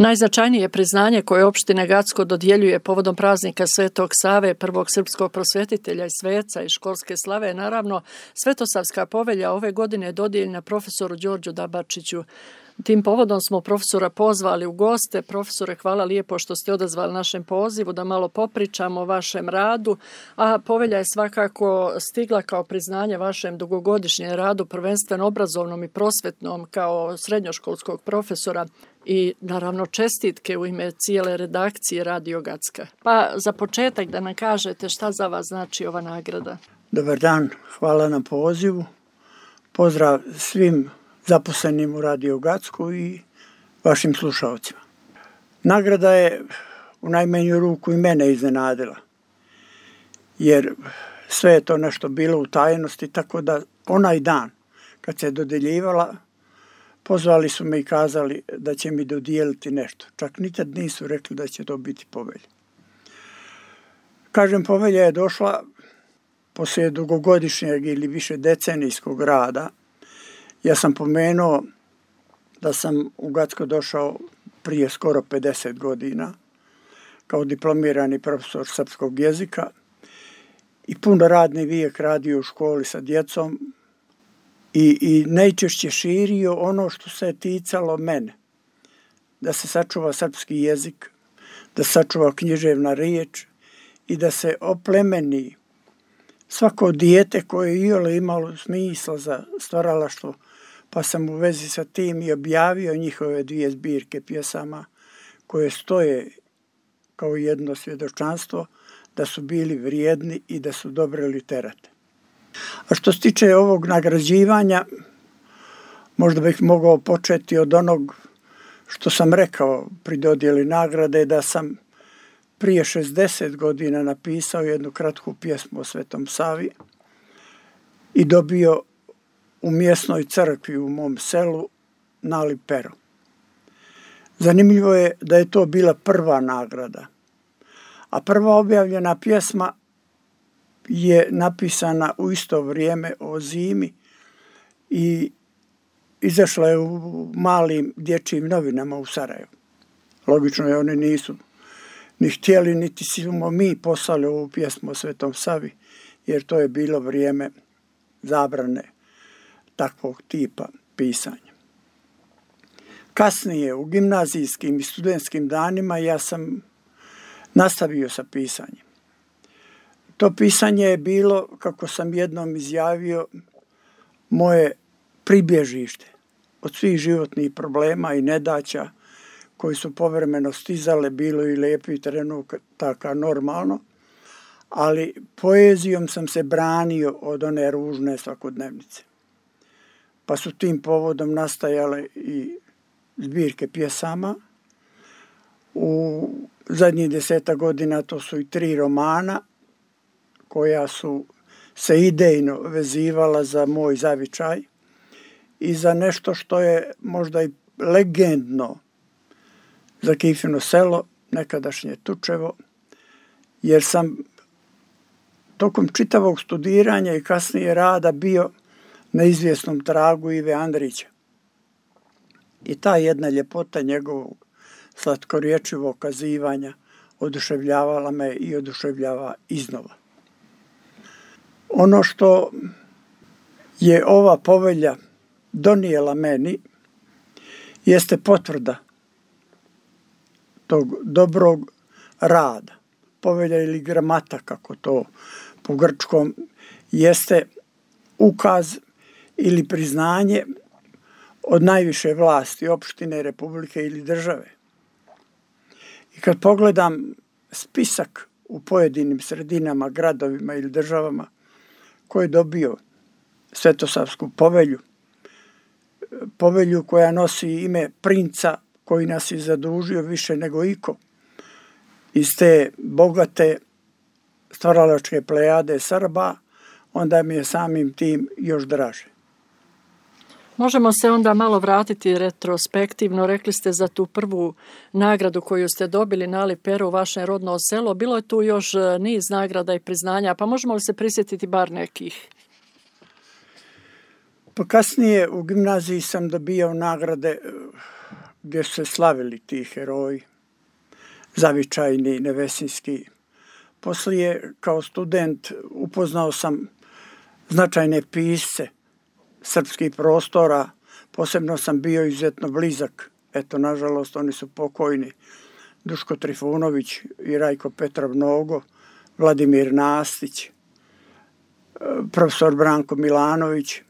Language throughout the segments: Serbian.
Najznačajnije priznanje koje opština Gacko dodjeljuje povodom praznika Svetog Save, prvog srpskog prosvetitelja i sveca i školske slave, naravno Svetosavska povelja ove godine je dodijeljena profesoru Đorđu Dabačiću. Tim povodom smo profesora pozvali u goste. Profesore, hvala lijepo što ste odazvali našem pozivu da malo popričamo o vašem radu, a povelja je svakako stigla kao priznanje vašem dugogodišnjem radu, prvenstveno obrazovnom i prosvetnom kao srednjoškolskog profesora i naravno čestitke u ime cijele redakcije Radio Gacka. Pa za početak da nam kažete šta za vas znači ova nagrada. Dobar dan, hvala na pozivu. Pozdrav svim zaposlenim u Radio Gacku i vašim slušalcima. Nagrada je u najmanju ruku i mene iznenadila, jer sve je to nešto bilo u tajnosti, tako da onaj dan kad se dodjeljivala, pozvali su me i kazali da će mi dodijeliti nešto. Čak nikad nisu rekli da će to biti povelja. Kažem, povelja je došla poslije dugogodišnjeg ili više decenijskog rada. Ja sam pomenuo da sam u Gacko došao prije skoro 50 godina kao diplomirani profesor srpskog jezika i puno radni vijek radio u školi sa djecom i najčešće širio ono što se ticalo mene. Da se sačuva srpski jezik, da se sačuva književna riječ i da se oplemeni svako dijete koje je iole imalo smisla za stvaralaštvo, pa sam u vezi sa tim i objavio njihove 2 zbirke pjesama koje stoje kao jedno svjedočanstvo da su bili vrijedni i da su dobre literate. A što se tiče ovog nagrađivanja, možda bih mogao početi od onog što sam rekao pri dodjeli nagrade, da sam prije 60 godina napisao jednu kratku pjesmu o Svetom Savi i dobio u mjesnoj crkvi u mom selu nali pero. Zanimljivo je da je to bila prva nagrada, a prva objavljena pjesma je napisana u isto vrijeme o zimi i izašla je u malim dječjim novinama u Sarajevu. Logično je, oni nisu ni htjeli, niti smo mi poslali ovu pjesmu o Svetom Savi, jer to je bilo vrijeme zabrane takvog tipa pisanja. Kasnije, u gimnazijskim i studentskim danima, ja sam nastavio sa pisanjem. To pisanje je bilo, kako sam jednom izjavio, moje pribježište od svih životnih problema i nedaća koji su povremeno stizale, bilo i lijepih trenutaka normalno, ali poezijom sam se branio od one ružne svakodnevnice. Pa su tim povodom nastajale i zbirke pjesama. U zadnjih 10 godina to su i 3 romana koja su se idejno vezivala za moj zavičaj i za nešto što je možda i legendno za Kifino selo, nekadašnje Tučevo, jer sam tokom čitavog studiranja i kasnije rada bio na izvjesnom tragu Ive Andrića. I ta jedna ljepota njegovog slatkorječivog kazivanja oduševljavala me i oduševljava iznova. Ono što je ova povelja donijela meni jeste potvrda tog dobrog rada. Povelja ili gramata, kako to po grčkom, jeste ukaz ili priznanje od najviše vlasti, opštine, republike ili države. I kad pogledam spisak u pojedinim sredinama, gradovima ili državama ko je dobio Svetosavsku povelju, povelju koja nosi ime princa koji nas je zadužio više nego iko, iz te bogate stvaralačke plejade Srba, onda mi je samim tim još draže. Možemo se onda malo vratiti retrospektivno. Rekli ste za tu prvu nagradu koju ste dobili nali pero u vaše rodno selo. Bilo je tu još niz nagrada i priznanja, pa možemo li se prisjetiti bar nekih? Pa kasnije u gimnaziji sam dobijao nagrade gdje su se slavili ti heroji, zavičajni, nevesinski. Poslije, kao student, upoznao sam značajne pisce srpskih prostora, posebno sam bio izuzetno blizak, eto, nažalost, oni su pokojni, Duško Trifunović i Rajko Petrov Nogo, Vladimir Nastić, profesor Branko Milanović.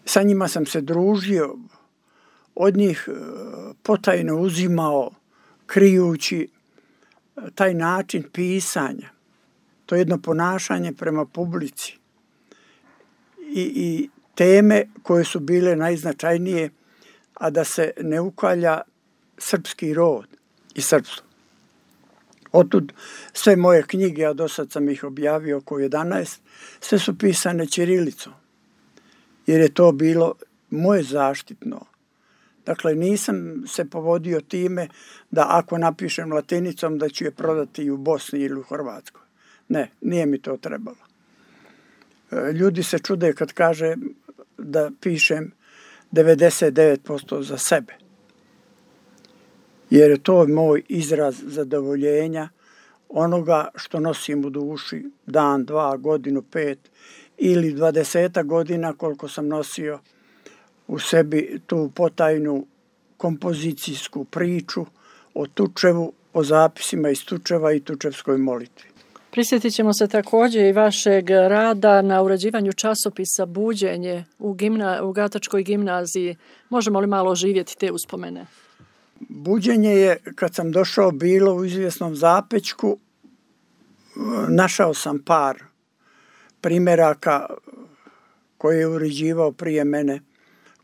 Sa njima sam se družio, od njih potajno uzimao, krijući taj način pisanja, to jedno ponašanje prema publici i teme koje su bile najznačajnije, a da se ne ukalja srpski rod i srpstvo. Otud sve moje knjige, a do sad sam ih objavio oko 11, sve su pisane ćirilicom, jer je to bilo moje zaštitno. Dakle, nisam se povodio time da ako napišem latinicom da ću je prodati i u Bosni ili u Hrvatskoj. Ne, nije mi to trebalo. Ljudi se čude kad kaže da pišem 99% za sebe. Jer je to moj izraz zadovoljenja onoga što nosim u duši dan, 2, godinu, 5 ili 20 godina koliko sam nosio u sebi tu potajnu kompozicijsku priču o Tučevu, o zapisima iz Tučeva i Tučevskoj molitvi. Prisjetit ćemo se također i vašeg rada na uređivanju časopisa Buđenje u Gatačkoj gimnaziji. Možemo li malo oživjeti te uspomene? Buđenje je, kad sam došao, bilo u izvjesnom zapećku. Našao sam par primjeraka koje je uređivao prije mene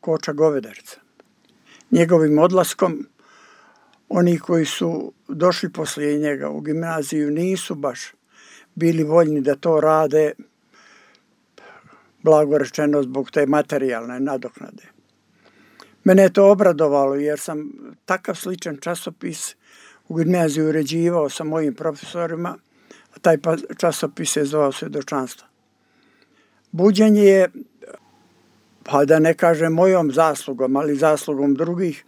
Koča Govedarca. Njegovim odlaskom, oni koji su došli poslije njega u gimnaziju nisu baš bili voljni da to rade, blago rečeno, zbog te materijalne nadoknade. Mene je to obradovalo jer sam takav sličan časopis u gimnaziju uređivao sa mojim profesorima, a taj časopis je zvao Svjedočanstvo. Buđenje je, pa da ne kažem mojom zaslugom, ali zaslugom drugih,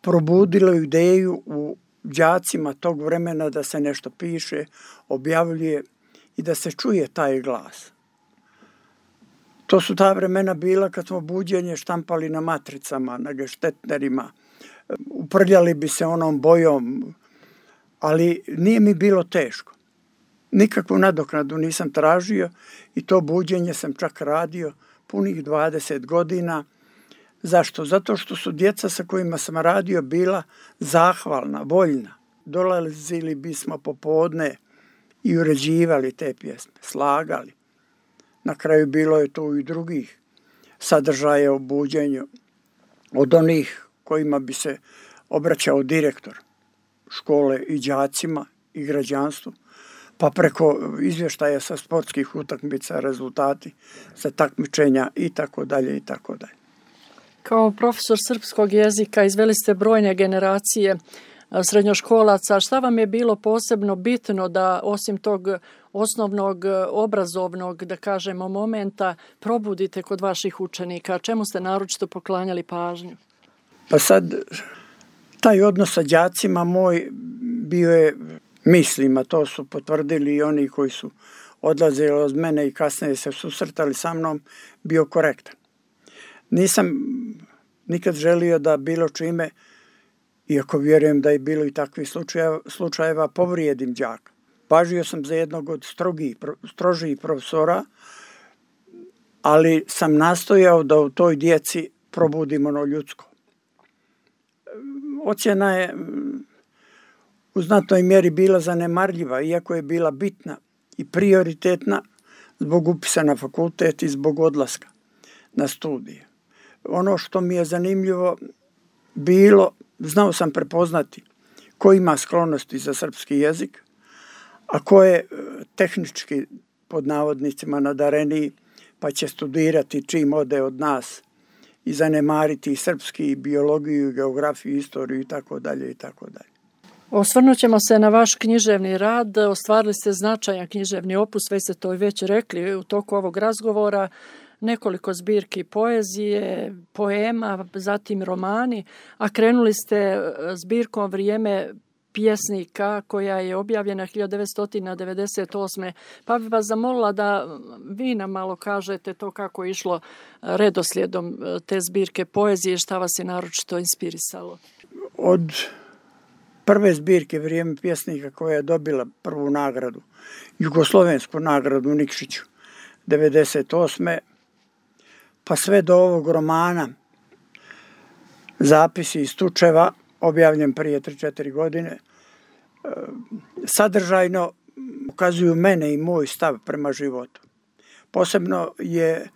probudilo ideju u đacima tog vremena da se nešto piše, objavljuje i da se čuje taj glas. To su ta vremena bila kad smo Buđenje štampali na matricama, na geštetnerima, uprljali bi se onom bojom, ali nije mi bilo teško. Nikakvu nadoknadu nisam tražio i to Buđenje sam čak radio punih 20 godina. Zašto? Zato što su djeca sa kojima sam radio bila zahvalna, voljna. Dolazili bismo popodne i uređivali te pjesme, slagali. Na kraju bilo je tu i drugih sadržaja u Buđenju, od onih kojima bi se obraćao direktor škole i đacima i građanstvu, pa preko izvještaja sa sportskih utakmica, rezultati sa takmičenja i tako dalje i tako dalje. Kao profesor srpskog jezika izveli ste brojne generacije srednjoškolaca. Šta vam je bilo posebno bitno da osim tog osnovnog obrazovnog, da kažemo, momenta probudite kod vaših učenika? Čemu ste naročito poklanjali pažnju? Pa sad, taj odnos sa đacima moj bio je, mislim, a to su potvrdili i oni koji su odlazili od mene i kasnije se susretali sa mnom, bio korektan. Nisam nikad želio da bilo čime, iako vjerujem da je bilo i takvih slučajeva, povrijedim đaka. Važio sam za jednog od strožijih profesora, ali sam nastojao da u toj djeci probudim ono ljudsko. Ocjena je u znatnoj mjeri bila zanemarljiva, iako je bila bitna i prioritetna zbog upisa na fakultet i zbog odlaska na studije. Ono što mi je zanimljivo bilo, znao sam prepoznati ko ima sklonosti za srpski jezik, a ko je tehnički, pod navodnicima, nadareniji, pa će studirati čim ode od nas i zanemariti i srpski, i biologiju, i geografiju, i istoriju i tako dalje i tako dalje. Osvrnut ćemo se na vaš književni rad. Ostvarili ste značajan književni opus, već ste to već rekli u toku ovog razgovora. nekoliko zbirki poezije, poema, zatim romani, a krenuli ste zbirkom Vrijeme pjesnika koja je objavljena 1998. Pa bih vas zamolila da vi nam malo kažete to kako je išlo redoslijedom te zbirke poezije, šta vas je naročito inspirisalo. Od prve zbirke Vrijeme pjesnika koja je dobila prvu nagradu, jugoslovensku nagradu u Nikšiću 1998. pa sve do ovog romana Zapisi iz Tučeva, objavljen prije 3-4 godine, sadržajno ukazuju mene i moj stav prema životu. Posebno je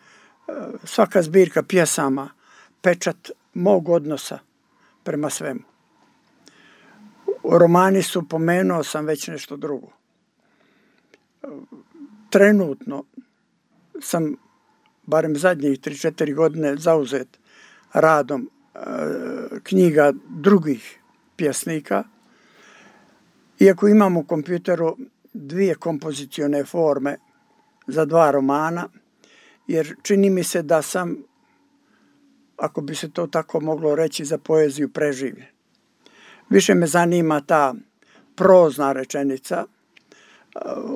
svaka zbirka pjesama pečat mog odnosa prema svemu. U romani su, pomenuo sam već nešto drugo. Trenutno sam, barem zadnjih 3-4 godine, zauzet radom knjiga drugih pjesnika. Iako imam u kompjuteru 2 kompozicione forme za 2 romana, jer čini mi se da sam, ako bi se to tako moglo reći, za poeziju preživljen. Više me zanima ta prozna rečenica,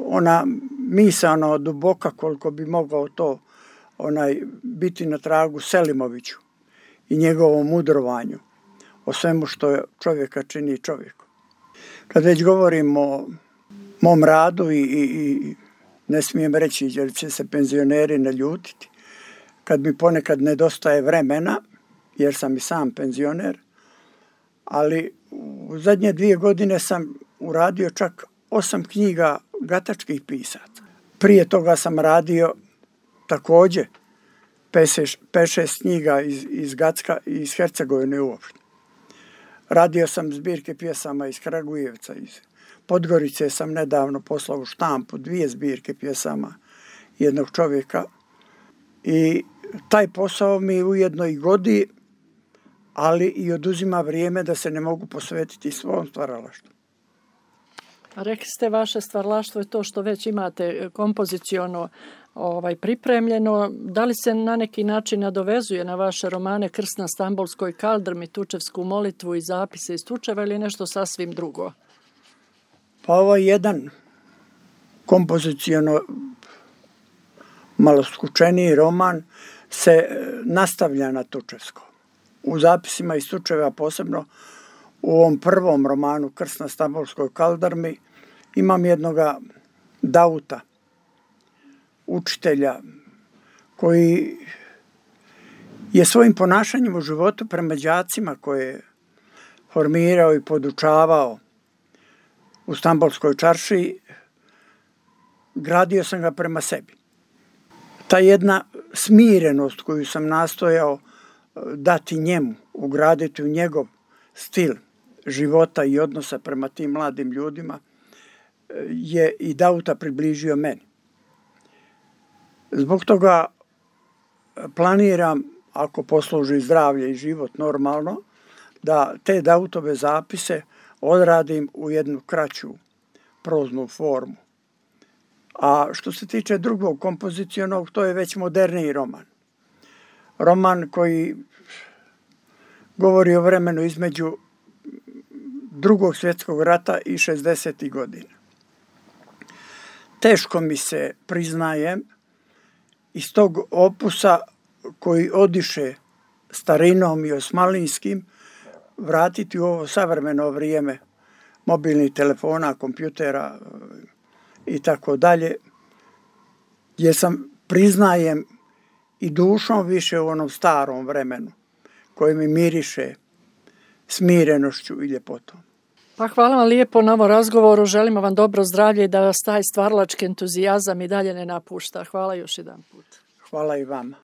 ona misaono duboka koliko bi mogao to biti na tragu Selimoviću i njegovom mudrovanju o svemu što čovjeka čini čovjekom. Kad već govorim o mom radu i ne smijem reći jer će se penzioneri naljutiti, kad mi ponekad nedostaje vremena, jer sam i sam penzioner, ali u zadnje 2 godine sam uradio čak 8 knjiga gatačkih pisaca. Prije toga sam radio također 5-6 knjiga iz Gacka i iz Hercegovine uopšte. Radio sam zbirke pjesama iz Kragujevca, iz Podgorice sam nedavno poslao u štampu 2 zbirke pjesama jednog čovjeka i taj posao mi ujedno i godi, ali i oduzima vrijeme da se ne mogu posvetiti svom stvaralaštvu. Rekli ste, vaše stvaralaštvo je to što već imate kompoziciono pripremljeno. Da li se na neki način nadovezuje na vaše romane Krst na Stambolskoj kaldrmi, Tučevsku molitvu i Zapise iz Tučeva ili nešto sasvim drugo? Pa ovo je jedan kompoziciono malo skučeniji roman se nastavlja na Tučevsko. U Zapisima iz Tučeva, posebno u ovom prvom romanu Krst na Stambolskoj kaldrmi, imam jednoga Dauta, učitelja, koji je svojim ponašanjem u životu prema đacima koje je formirao i podučavao u Stambolskoj čaršiji, gradio sam ga prema sebi. Ta jedna smirenost koju sam nastojao dati njemu, ugraditi u njegov stil života i odnosa prema tim mladim ljudima, je i Dauta približio meni. Zbog toga planiram, ako posluži zdravlje i život normalno, da te Dautove zapise odradim u jednu kraću proznu formu. A što se tiče drugog kompozicionog, to je već moderniji roman. Roman koji govori o vremenu između Drugog svjetskog rata i 60. godina. Teško mi se, priznajem, iz tog opusa koji odiše starinom i osmalinskim, vratiti u ovo savremeno vrijeme mobilnih telefona, kompjutera i tako dalje, jer sam, priznajem, i dušom više u onom starom vremenu koji mi miriše smirenošću i ljepotom. Pa hvala vam lijepo na ovom razgovoru, želimo vam dobro zdravlje i da vas taj stvaralački entuzijazam i dalje ne napušta. Hvala još jedan put. Hvala i vama.